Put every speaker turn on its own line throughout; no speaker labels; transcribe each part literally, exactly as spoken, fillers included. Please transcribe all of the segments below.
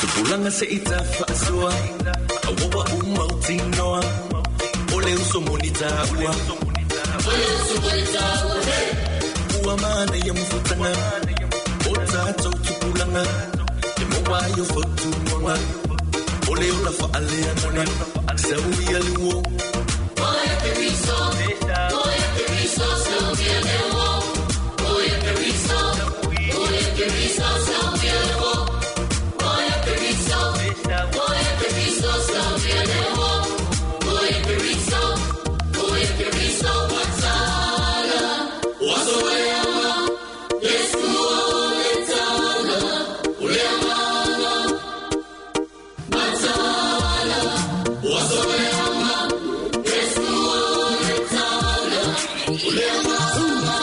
Tupulanga se ita faasua awawa umautinoa ole uso monita ua ole uso monita ua mana ya mfutanga ota tau tupulanga te moa yo fotu moa ole ola faale anana saui aluo
Oya keriso oya keriso saui aluo oya keriso oya keriso saui aluo oya keriso oya keriso saui aluo oya keriso oya keriso watsala wasoema Yesu oletala uleamana matsala wasoema Yesu oletala uleamana.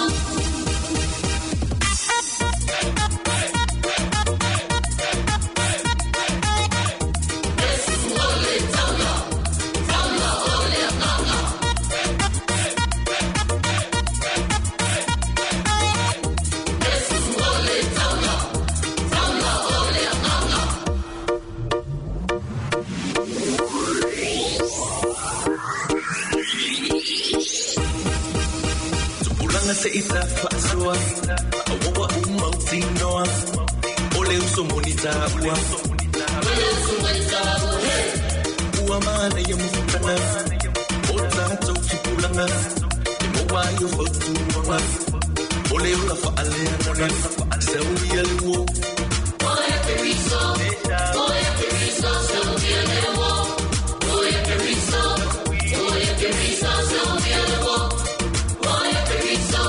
Tupulanga se ita faasua awawa umautinoa ole uso monita ua
Ole uso monita ua
ua mana ya mfutanga ota tau tupulanga te moa yo fotu moa ole ola faale anana saui aluo
Oya keriso oya keriso saui aluo oya keriso oya keriso saui aluo oya keriso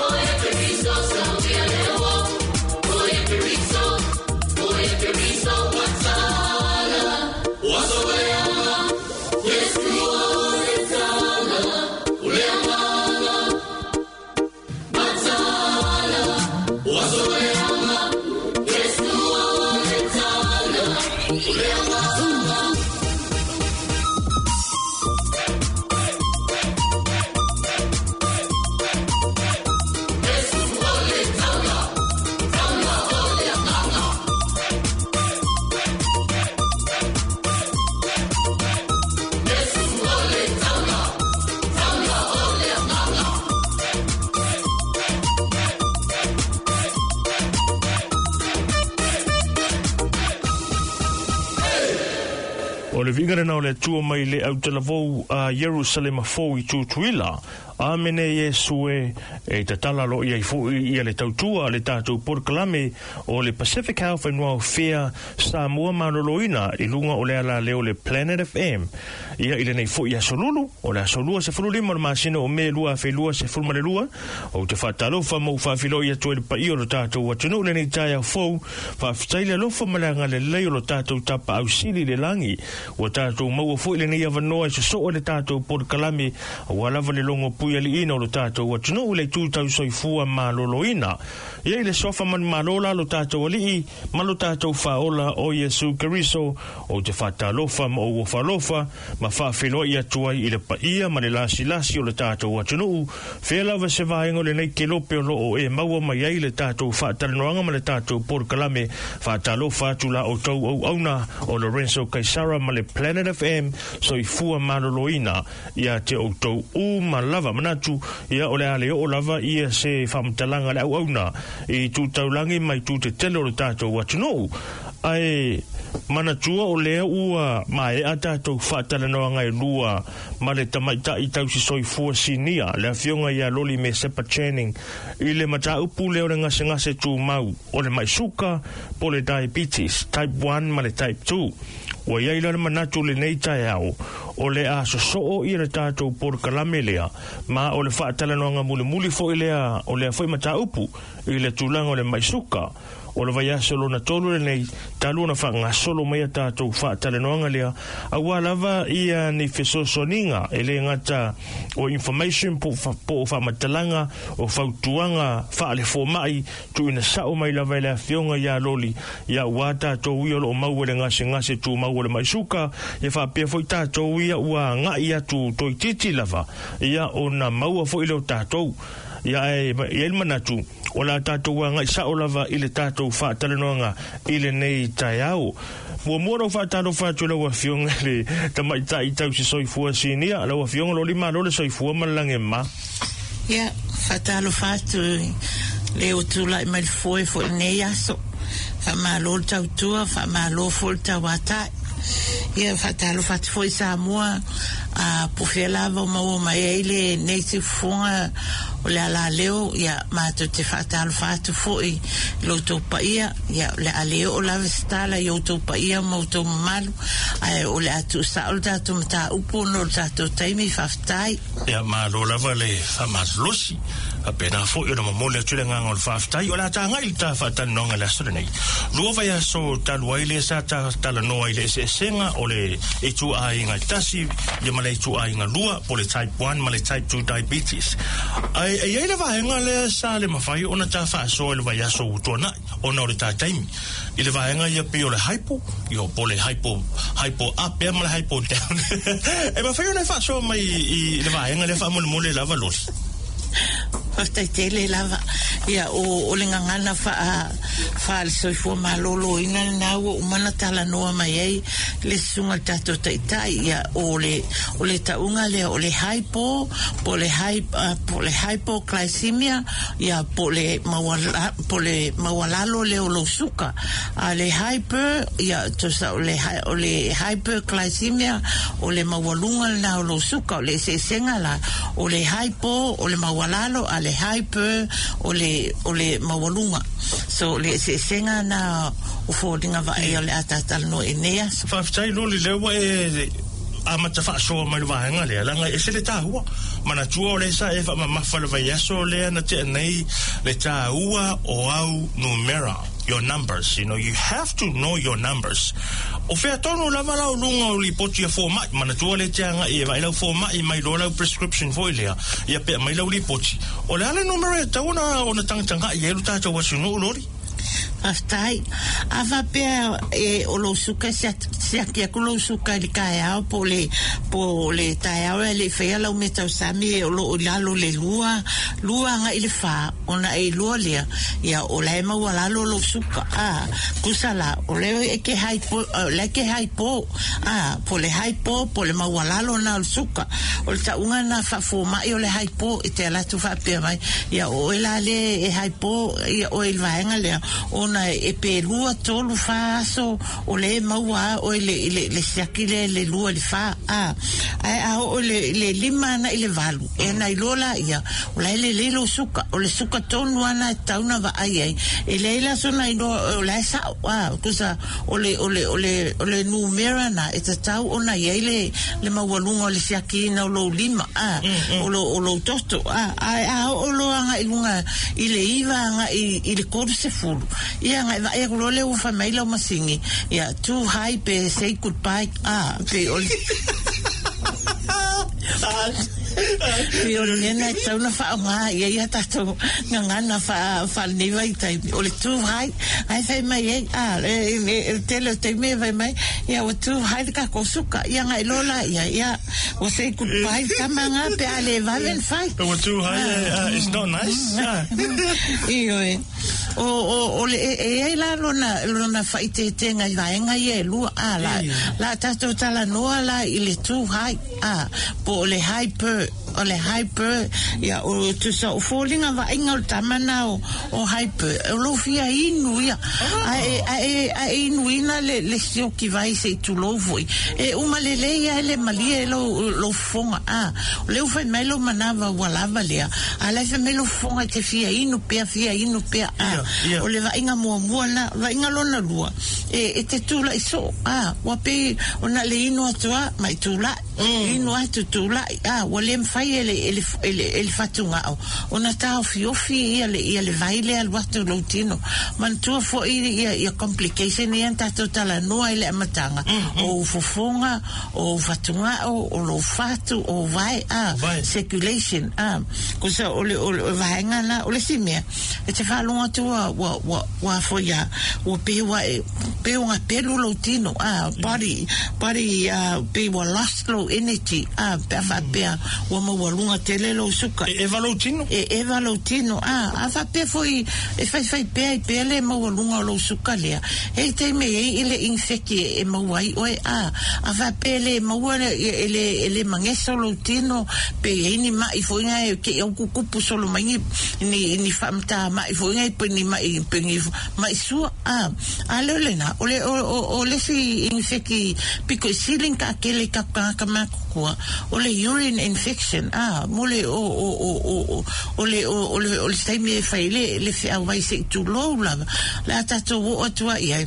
oya keriso saui aluo oya keriso oya keriso watsala wasoema Yesu oletala uleamana matsala wasoema Yesu oletala uleamana.
O le vinga lena o le atua mai le autalavou a Ierusalema fou i Tutuila. Amene Iesu e e tatala lo ia i fo ia le tautua le tātou porokalame o le Pacific Health and Welfare Samoa Maloloina i lunga o le ala leo le Planet F M. Ia i lenei fo ia solulu o le aso lua sefulu lima o le masina o me lua afe lua sefulu ma le lua o te whātalofa mau whawhilo ia tua le paio lo tātou atunuu lenei taia fou whawhitai le alofa ma le agalelei o lo tātou tapa ausili le langi ua tātou maua fo i lenei avanoa i soso'o le tātou porokalame ua lava le longo pui aliina o lo tātou atunuu le tūtau soifua maloloina. Ia i le sofa manu malola lo tātou alii ma lo tātou whaola o Iesu Keriso o te whātalofa ma o whalofa ma whawhiloa i atu ai i le paia ma le lasilasi o le tātou atunuu. Whea lava se vaenga o lenei ke lope o lo o e maua mai ai le tātou whaatalanoanga ma le tātou porokalame whātalofa atu la o tau au auna o Lorenzo Kaisara ma le Planet F M soifua maloloina ia te o tau u malava. manatu ia o le a le oo lava ia se faamatalaga le auauna i tu taulagi mai tu tetele o le tatou atunuu ae manatua o lea ua mae'a tatou faatalanoaga e lua ma le tamaita'i tausisoifua sinia le afioga ia Loli Mesepa Channing i le mataupu lea o le gasegase tumau o le ma'i suka po le diabetes type one ma le type two. Ua iai la le manatu lenei taeao o le a sosoo ia le tatou polokalame lea ma o le faatalanoaga mulimuli fo'i lea o lea fo'i mataupu i le tulaga o le ma'i suka o le vaiaso lona tolu lenei talu ona faagasolo mai a tatou faatalanoaga lea auā lava ia ni fesoasoaniga e lē gata o information po o faamatalaga o fautuaga faalefoma'i tuuina sa'o mai lava e le afioga iā Loli ia uā tatou ia o loo maua le gasegase tumau o le ma'i suka ia faapea fo'i tatou ia ua aga'i atu toeititi lava ia ona maua fo'i leo tatou ia e ia le manatu o la tatou aga'i sa'o lava i le tatou faatalanoaga i lenei taeao. Muamua lau faatalofa atu lau afioga le tamaita'i tausisoifua sinia lau afioga Loli malo le soifua ma le lagema.
Ia faatalofa atu le o tula'i mai le foe fo'i lenei aso. Faamālō le tautua, faamālō fo'i le tauata'i. Ia faatalofa atu fo'i Samoa a po fea lava o maua mai ai lenei siufofoga o le alaleo ia matou te faatalofa atu fo'i i lo outou paia ia o le a le oo lava se tala i outou paia ma outou mamalu ae o le a tuusa'o le tatou mataupu ona o le tatou taimi faafetai.
Ia malo lava le faamalolosi faapena fo'i ona momoli atu le agaga o le faafetai o le a tagai le ta faatalanoaga le aso lenei. Lua vaiaso talu ai lea sa talanoa i le eseesega o le ituaiga e tasi ia ma le ituaiga lua po le type one ma le type two diabetes. Ae e iai le vaega lea sa le mafai ona ta faasoa i le vaiaso ua tuana'i ona o le tataimi i le vaega ia pei o le hypo ia po le hypo hypo up ea ma le hypo down. E mafai ona e faasoa mai i le vaega lea faamolemole lava Loli.
Faafetai tele lava. Ia o o le gagana faa faale soifua malōlōina lenā ua uma ona talanoa mai ai le susuga le tatou taʻitaʻi ia o le o le taʻuga lea o le hypo po le hy po le hypoglycemia ia po le mauala po le maualalo lea o lou suka a le hyper ia tusa o le o le hyperglycemia o le maualuga lenā o lou suka o le eseesega la o le hypo o le maualalo a le hyper o le o le maualuga so le eseesega na o foliga vaaia o le a tatalanoa i lenei aso.
Faafetai Loli lea ua e amata faasoa mai le vaega lea laga e ese le tāua manatua o le sa e faamamafa le vaiaso lea na tea nei le tāua o au numera your numbers, you know, you have to know your numbers. O fea tonu lava lau luga o lipoti a fomai manatua le te aga'i e vaai lau foma'i mai loa lau prescription foi lea ia pea mai lau lipoti o le a le numera e tatau ona ona tagataga'i ai lo tatou atunuu Loli.
Faafetai. A faapea e o lou suka siaki atu lou suka i le taeao po o le po o le taeao ae leʻi faia lau mea tausami e o loo i lalo le lua lua agaʻi le fā ona e iloa lea ia o la e maualalo lou suka a tusa la o lea e ke hypo o lea ke hypo a po o le hypo po o le maualalo na o le suka o le taʻuga na faafomaʻi o le hypo e te ala atu faapea mai ia o oe la lea e hypo ia oe i le vaega lea ona e pe lua tolu fā aso o le maua a oe le le le siaki lea le lua le fā a ae a oo le le lima ana i le valu e na iloa laia o la e lelei lou suka o le suka tonu ana e tatau ona vaai ai e leai la sona iloa o la e sa'o a tusa o le o le o le o le numera na e tatau ona iai le le maualuga o le siakiina o lou lima a o lo o lou toto a ae a oo loa agaʻi luga i le iva agaʻi i le tolu sefulu ia agaʻi vaai atu loa lea ua fai mai lau masini ia too high pe say goodbye a pe o le Pei o le mea lena e tatau ona faaaoga i ai a tatou gagana faa faalenei vaitaimi o le too high ae fai mai ai a le le tele o taimi e fai mai ia ua too high le tatou suka ia agai loa laia ia ua say goodbye le tama lena pe a le vave ona fai.
Ua too high, it's not nice.
Ioe o o o le e i ai la lona lona faaiteetega i vaega ia e lua a la la tatou talanoa la i le too high a po o le hyper o le hyper ia o tusa o foliga vaaiga o le tamana o, o hyper o lou fia inu ia ae ae ae inuina le le sioki vai se i tulou foʻi e uma lelei ai le malie lou lou fofoga a o lea ua fai mai lou manava ua lava lea a lae fai mai lou fofoga e te fia inu pea fia inu pea a
Ia, ia.
o le vaaiga muamua na vaaiga lona lua e, e te tulaʻi soo a ua pei ona le inu atu a mai tulaʻi inu atu tulaʻi a ua le mafai e le e le e le, e le fatugao ona taofiofi ia le ia le vai le alu atu lou tino manatua foʻi ia ia complication ia na tatou talanoa i le amataga o fofoga o fatugao o lou fatu o vai a
Vai.
circulation a kusa o le o le vaega na o le isi mea e te faalogo atu ua ua ua ua foi a ua pei ua e pei ua pelu lou tino a body body uh, pei ua lost lou energy a pe a faapea ua maualuga tele lou suka
E eva lou tino?
e eva lou tino a a faapea foi e faifai pea i pea le maualuga o lou suka lea e taimi ai i le infeki e maua ai oe a a faapea le maua le- e le e le magesa o lou tino pe i ai ni maʻi foʻiga e ke au kukupu solo mai ni ni ni faamatā maʻi foʻiga pe ni maʻi pe ni maʻi sua a a le o lena o le o o o le si infeki piko i sili ka kele ka ka ka makukua o le urine infection a mo le o o o o o o le o o le o le taimi e fai le le feauai se i tulou lava le a tatou oo atu ai ai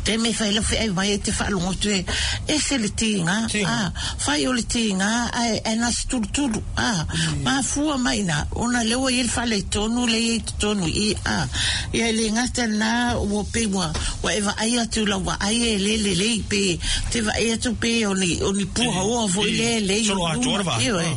te me fai le feai vai e te faalogo atu e ese le tiga
Tiga.
a fai o le tiga ae ae na se tulutulu a mafua mai na ona lea ua i le faaletonu le i totonu i a ia e le gata na ua pei ua ua e vaai atu lau vaai e le lelei pe te vaai atu pe o ni o ni puaoa foʻi le lei
Solo atoa le vaai.
Ioe.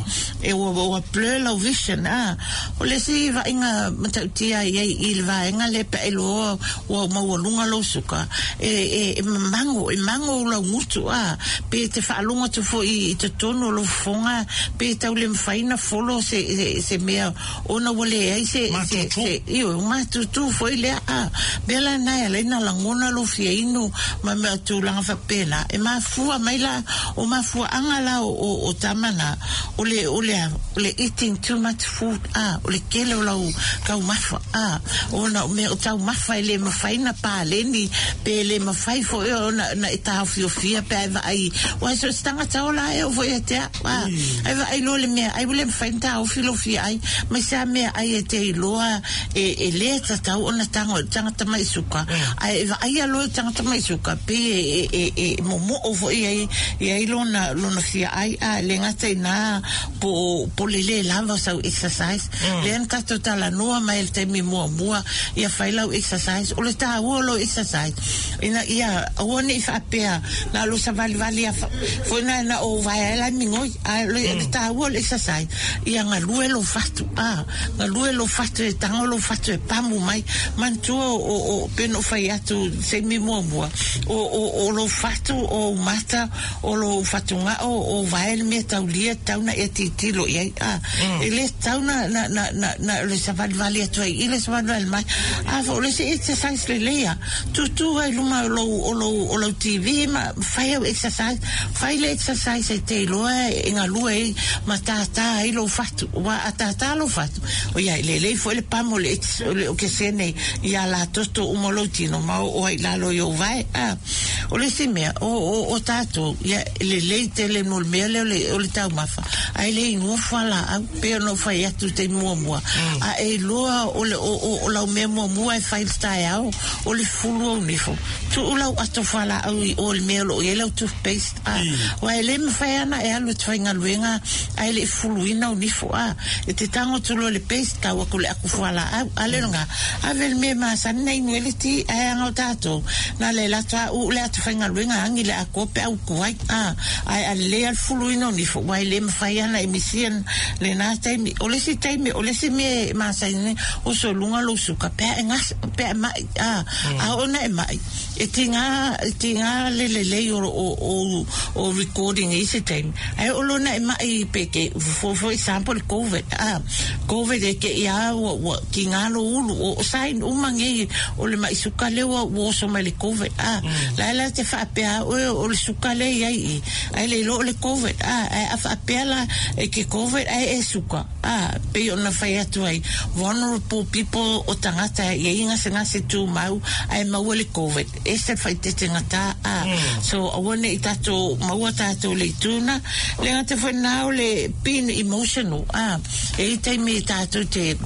E ua ua blur lau vision a o le isi vaaiga matautia i ai i le vaega le pe e loa ua maualuga lou suka e e e mago e mago lau gutu a pe te faalogo atu foʻi i totonu o lou fofoga pe tau le mafai na folo se se, se mea ona ua leai se se
Matutu.
se io matutu foʻi lea a mea lana e alaina lagona lou fia inu ma mea tulaga faapena e mafua mai la o mafuaʻaga la o, o, o tamana o le o le o le eating too much food a o le kele o lau taumafa a ona o mea o taumafa e le mafai na paleni pe le mafai foʻi ona na e taofiofia pe ai vaai ua so se tagata ola e o foʻi e tea a ai vaai loa le mea ai ua le mafai na taofi lou fia ai mai sa mea ai e te iloa e, e lē tatau ona tago tagata mai suka ai e vaaia loa tagata mai suka pe e, e, e, e momoʻo foʻi ai i ai lona lona fia ai a le gata ina po po le lē lava o sau exercise lea na tatou talanoa mai le taimi muamua ia fai lau exercise o le tāua o lou exercise ina ia aua neʻi faapea na lou savalivali a foʻi na o vae ai la migoi a le le tāua o le exercise ia galue lou fatu a galue lou fatu e tago lou fatu e pamu mai manatua o o pe no fai atu seimi muamua o o o lou fatu o mata o lou fatugao o vae le mea taulia tau na e titilo i ai a e le tau na na na na na le savalivali atu ai i le savalivali mai a fo o le se exercise lelei a tutū ai luma o lou o lou o lou T V ma fai au exercise fai le exercise e te iloa e galue ai ma tātā ai lou fatu ua a tātā lou fatu o ia lelei foʻi le pamo le ex- o le o kesene ia la toto uma lou tino ma o ai lalo i ou vae a o le isi mea o o o tatou ia lelei tele mo le mea lea o le o le taumafa ae le inua fualaau pe ona fai atu te muamua a e iloa o le o o o lau mea muamua e fai le taeao o le fulu au nifo tuu lau ato fualaau i o le mea o loo i ai lau toothpaste a ua e lē mafai ana e alu e te faigaluega ae le i fuluina au nifo a e te tago atu loa le paste tau aku le aku fualaau a le loga ave le mea masani na inu ai le ti ae aga o tatou na le lato a uu le atu faigaluega agi le akoa pe auku ai a ae alelei a le fuluina o nifo ua e lē mafai ana e misia lena taimi o le isi taimi o le isi mea e masani o soluga lou suka pe a e gasa pe a maʻi a a ona e maʻi E tiga e tiga le lelei o o o o recording i se taimi ae o lona e ma'i peke for, for example COVID ah COVID e ke ia ua ua tiga lo ulu o sign uma nei o le ma'i suka le ua ua oso mai le COVID ah la la te faapea o o le suka le iai i ae le iloa o le COVID ah ae a faapea la e ke COVID ae e suka ah pei ona fai atu ai vulnerable people o tagata e iai gasegase tumau ae maua le COVID e se faaeteetegata a so aua ne'i tatou maua tatou le ituna le gata foi na o le being emotional a e i taimi tatou te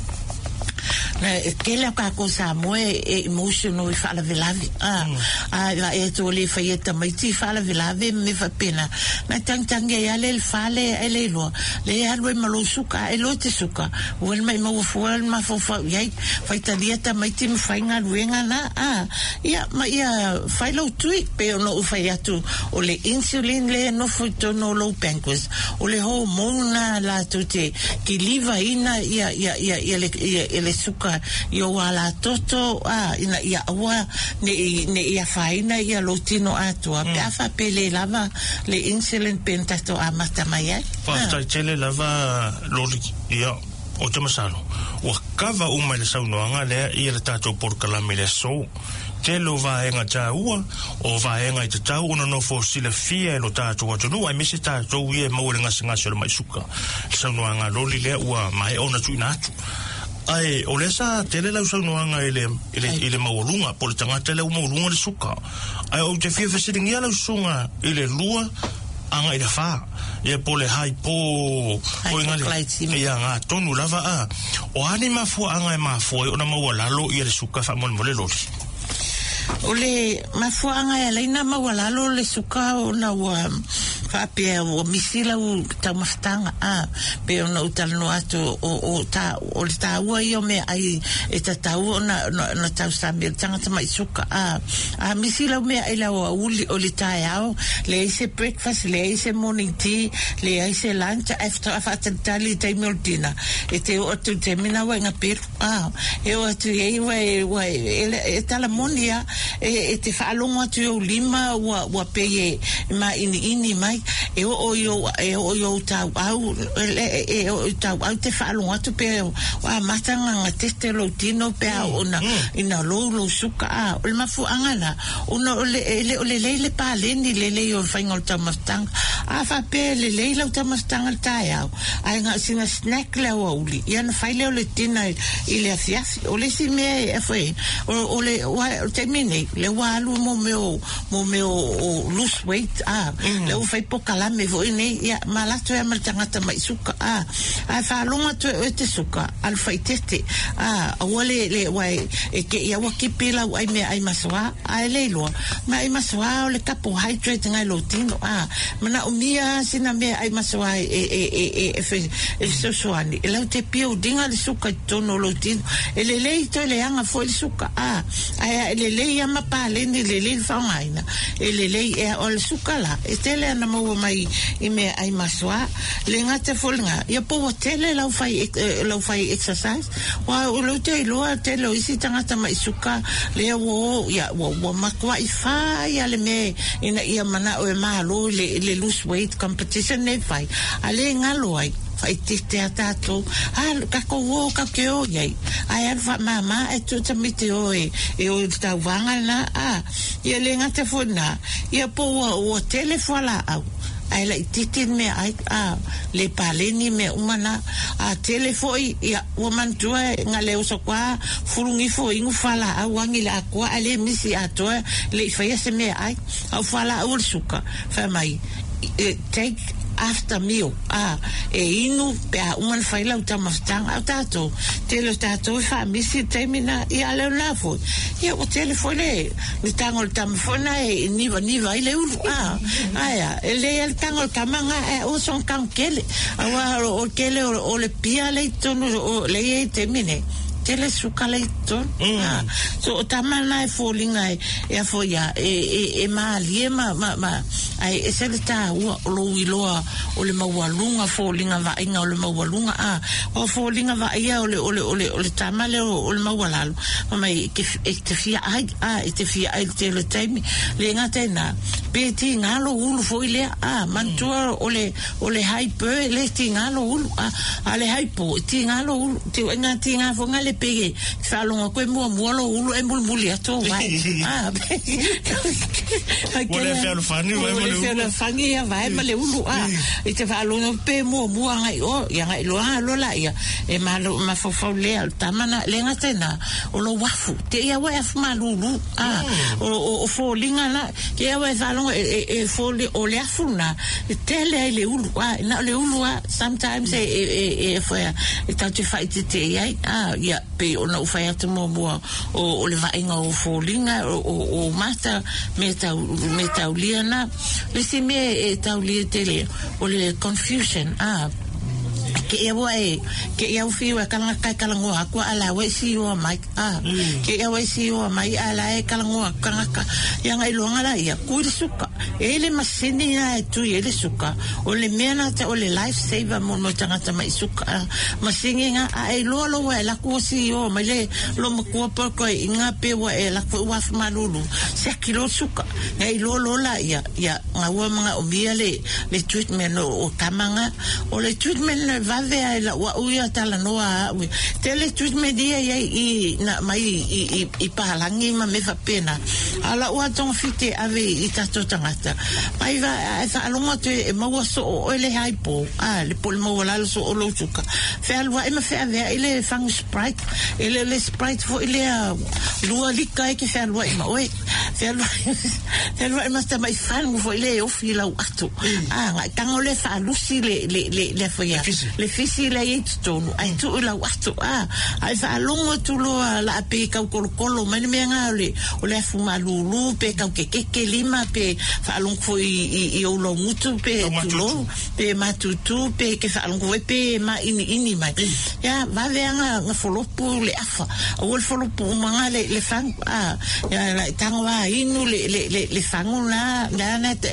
na e tele o kākou Samoa e, e emotional i faalavelave a a la e tu le fai e tamaiti i faalavelave me faapena na tangitangi ai ale le fale ai le iloa le alu ai ma lou suka e loa te suka ua le maʻimau fua le mafaufau iai faitalia tamaiti ma fai galuega na a ia ma ia fai lou tui pe ona ou fai atu o le insulin le nofo i totonu o lou pancreas o le hormone latou te kilivaina ia ia ia ia le ia, ia le suka i o ala toto a ina ia aua ne'i ne'i afaina ia lou tino atoa pe a faapele lava le insulin pe na tatou amata mai ai.
Faafetai tele lava Loli. Ia, o te masalo ua kava uma i le saunoaga lea ia le tatou polokalame le aso. Tele o vaega taua, o vaega i tatau ona nofo silafia e lo tatou atunuu, aemaise tatou ia e maua i le gasegase o le ma'i suka. Le saunoaga Loli lea ua maea ona tuuina atu. Ae o lea sa tele lau saunoaga i le, i le, i le maualuga, po o le tagata lea ua maualuga le suka. Ae ou te fia fesiligia lau susuga i le lua aga i le fa. Ia po le hypo
Hypoglycemia.
Ia ngā tonu lava a. O a ni mafuaanga e mafua ai ona maualalo ia le suka faamolemole Loli?
O le mafuaaga e alaina maualalo le suka ona ua faapea ua misi lau taumafataga a pe ona ou talanoa atu o, o, ta, o le taua ia o meaai e tatau ona, ona, ona tausami le tagata ma'i suka a a misi lau meaai le aoauli o le taeao leai se breakfast leai se morning tea leai se lunch ae faatoa faatalitali i taimi o le dinner e te oo atu i le taimi na ua e gapelu a e oo atu i ai ua e, ua e, e, e talamoni a e, e te faalogo atu i ou lima ua, ua pei e maʻiniʻini mai e oo i ou e oo i ou tauau e, e oo i tauau te faalogo atu pe o amata gagatete lou tino pe a ona ina lou lou suka a o le mafuaaga la ona o le e le o lelei le paleni lelei o le faiga o le taumafataga a faapea lelei lau taumafataga le taeao ae na o sina snack le aoauli ia na fai lea o le dinner i le afiafi o le isi mea e foi o, o le ua, o le taimi nei le ua alu mo mea o mo mea o, o lose weight a mm. le ua fai pokalame foi nei ia malato ia ma le tagata ma'i suka a ae faalogo atu e oe te suka alu faitete a aua le le ua e, e ke ia ua kipi lau ai mea ai masoa ae le iloa ma ai masoa o le carbohydrate ngai lou tino a manaomia sina mea ai masoa e e e e e e fe e fesoasoani e lau te buildinga le suka i totonu o lou tino e lelei toe leaga foi le suka a ae e lelei ama paleni lelei le faaaogaina e lelei e o le suka la e tele ana maua mai i mea ai masoa le gata foi lega ia po ua tele lau fai eh, lau fai exercise ua o lou te iloa tele o isi tagata ma'i suka lea ua o ia ua, ua matua'i fai a le mea ina ia mana'o e malo i le, i le lose weight competition nei fai a lē galo ai faaeteete a tatou a takou o katou te o iai ae alu faamāmā ae tuu tamaiti o e e o i le tauvaga lena a ia le gata foi lena ia po ua ua tele fualaau ae laʻitiiti le mea ai a le paleni mea uma na a tele foi ia ua manatua e gale oso koa fulugifo inu fualaau agi le akoa ae lē misi atoa leʻi faia se mea ai au fualaau o le suka fai mai take after meal a e inu pe a uma na fai lau taumafataga au tatou tele o tatou e faamisi le taimi na ia leo na foi ia ua tele foi le le tago o le tama foi na e nivaniva ai le ulu a aea e lei a le tago o le tamaga ae aua soga tago kele auā o le kele o le pia le i totonu o le i ai taimi nei. tele suka le tonu mm. So o tama na e foliga e e afo ia e e e malie ma ma ma ai e se le taua o lou iloa o le maualuga foliga vaaiga o le maualuga a o foliga vaaia o le o le o le o le tama lea o le maualalo ma mai e e te fia ai a e te fia ai le tele taimi le gata i na pe tiga lou ulu foi lea a manatua o le o le hyper le tiga lou ulu a a le hypo tiga lou ulu tiuaiga tiga foga le pege faalogo koe muamua lou ulu e mulimuli atu vai a
ua le fealofani vai ma le ulu
fealofani ia vai ma le ulu a i te faalogo pe muamua agai o ia agai loa alo laia e malo mafaufau lea o tamana le gata i na o lou afu te ia ua e afu malūlū a o o foliga la ke ia ua e faalogo e e foli o le afu na e tele ai le ulu a na o le ulu a sometimes e e e foea e tatou te faaiteteʻi ai a ia pei ona ou fai atu muamua o o le vaaiga o foliga o o mata me tau me taulia na le isi mea e taulia tele o le confusion a ke ia ua e ke ia ufi ua kalanga kai kalangoa aku a la ua si oa mai a ke ia ua si oa mai a la e kalangoa kangaka ia ngai loanga la ia kui le suka e le masini na e tui e le suka o le mea na te o le life saver mo mo tangata mai suka masini nga a e loa loa e laku o si oa mai le lo makua poko i ngā pe ua e laku ua malulu se kilo suka ngai loa loa la ia ia ngā ua mga o mia le le treatment o, o tamanga o le treatment na vave ai la ua uia talanoa a'u tele treatment ia ia i na mai i i i pahalangi ma me faapena a la'u atogafite ave i tatou tagata mai va e faalogo atu e maua soo oe le hypo a le po le maualalo soo lou suka fealuaʻi ma feaveaʻi le fagu Sprite e le le Sprite foʻi lea lua lika e ke fealuaʻi ma oe fealuaʻi fealuaʻi ma tamaʻi fagu foʻi le e ofi lau atu a gaʻitaga o le faalusi le le le le afoia le fisi le i totonu ai tuu lau atu a ai faalogo atu loa laa pe kaukolokolo mai le mea ga o le o le afu malūlū pe kaukekeke lima pe faalogo foi i i ou laugutu pe tulou pe matutū pe ke faalogo foi pe maʻiniʻini mai ia vaveaga ga folopu le afa aua le folopu umaga le le fagu a ia laʻitaga inu le le le le fagu la la na te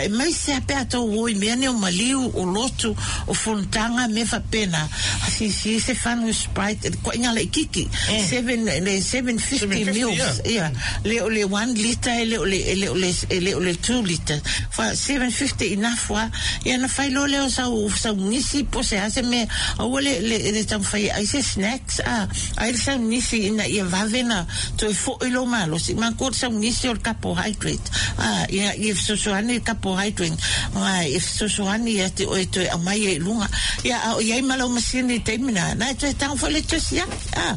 e mai se a pe atou o i mea nei o maliu o lotu o fonotaga me faapena sisi se fanu Sprite koaiga laʻikiki seven le seven fifty mils ia le o le one liter e le o le e le o le e le o le two liter fa seven fifty enough wa ia na fai loa lea o sau sau nisi po se a se mea aua le le le taumafai ai se snacks a ai le saunisi ina ia vave na toe foʻi lou malosi makou le saunisi o le carbohydrate a ia ia fesoasoani le carbohydrate ma e fesoasoani ia te oe toe aumai ai i luga ia a o iai ma lau masini i taimi na na e toe tago foi le toe siaki a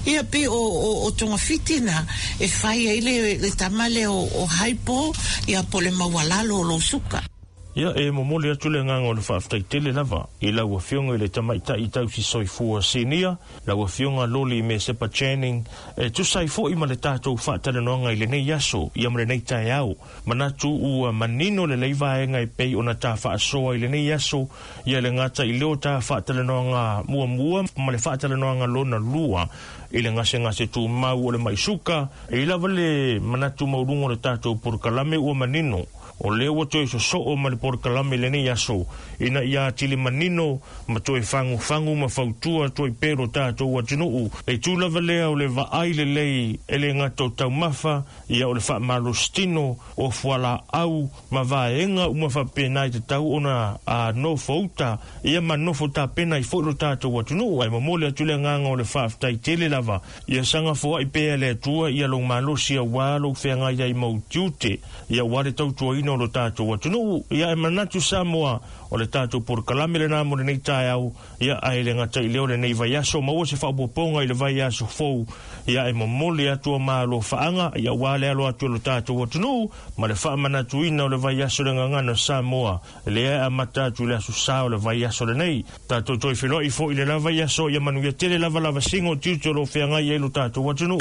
ia pei o o o togafiti na e fai ai le le tama lea o o hypo ia po le maualalo o lou suka.
Ia e momoli atu le agaga o le faafetaitele lava i lau afioga i le tamaitaʻi tausi soifua sinia lau afioga Loli Mesepa Channing e tusa ai foʻi ma le tatou faatalanoaga i lenei aso ia ma lenei taeao manatu ua manino lelei vaega e pei ona ta faasoa i lenei aso ia le gata i leo ta faatalanoaga muamua ma le faatalanoaga lona lua i le gasegase tumau o le maʻi e i lava le manatu mauluga o le tatou polokalame ua manino o lea ua toe sosoo ma le polokalame lenei aso ina ia atili manino ma toe fagufagu ma fautua toe pelo tatou atunuu e tū lava lea o le vaai lelei e le gata o taumafa ia o le faamalositino o fualaau ma vaega uma faapena i tatau ona a nofouta ia ma nofo tapena i foʻi lo tatou atunuu ae momoli atu le agaga o le faafetaitele lava ia sagafoaʻi pea le Atua ia lou malosi auā lou feagai ai mau tiute ia ua le tautuaina o lo tatou atunuu ia e manatu Samoa o le tatou polokalame lenā mo lenei taeao ia ae le gata i lea o lenei vaiaso maua se faaopoopoga i le vaiaso fou ia e momoli atu o malofaaga ia ua le alo atu o lo tatou atunuu ma le faamanatuina o le vaiaso le gagana Samoa lea e amata atu i le aso sa o le vaiaso lenei tatou toe feloai foʻi le la vaiaso ia manuia tele lava lavasiga o tiute o loo feagai ai lo tatou atunuu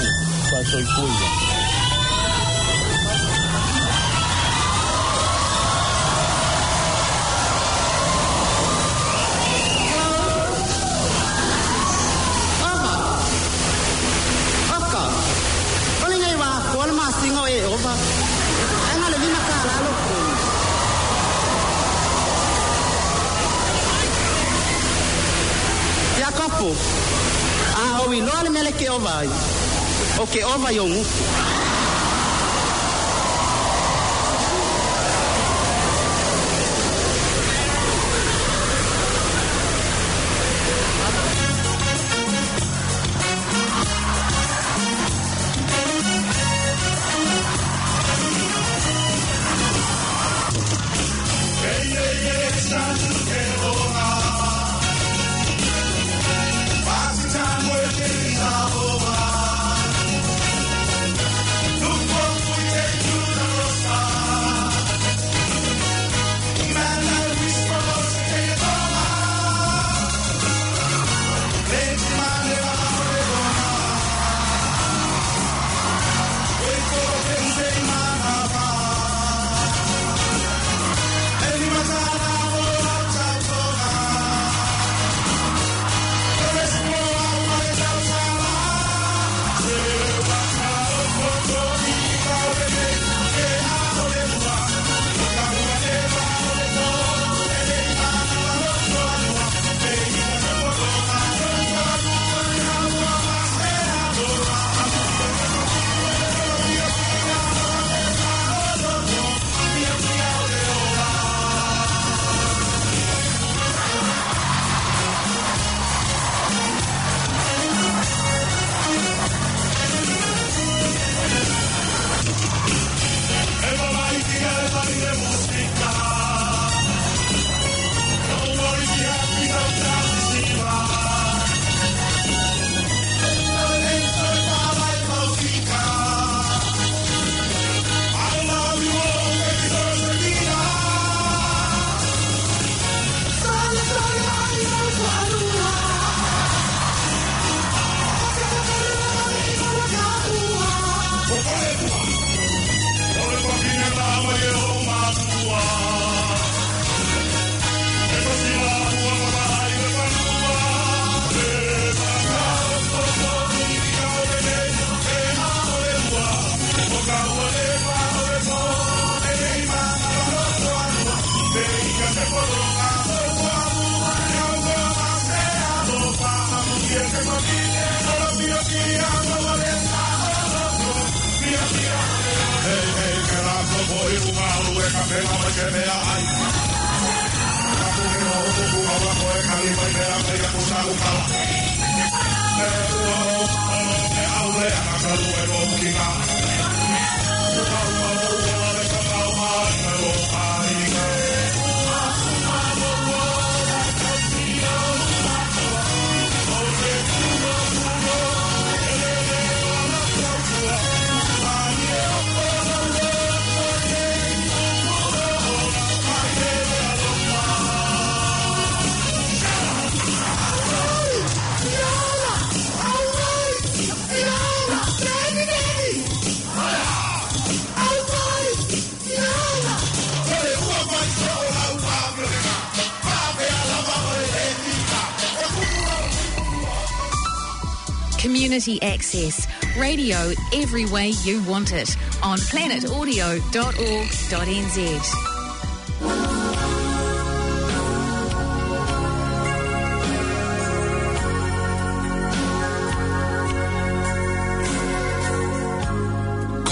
faasoifuaina.
e ova. Ai na le lima tālā lo totogi. Iakopo, a o iloa le mele ke ova ai. O ke ova i o ngufu.
Community access. Radio every way you want it on planet audio dot org dot n z.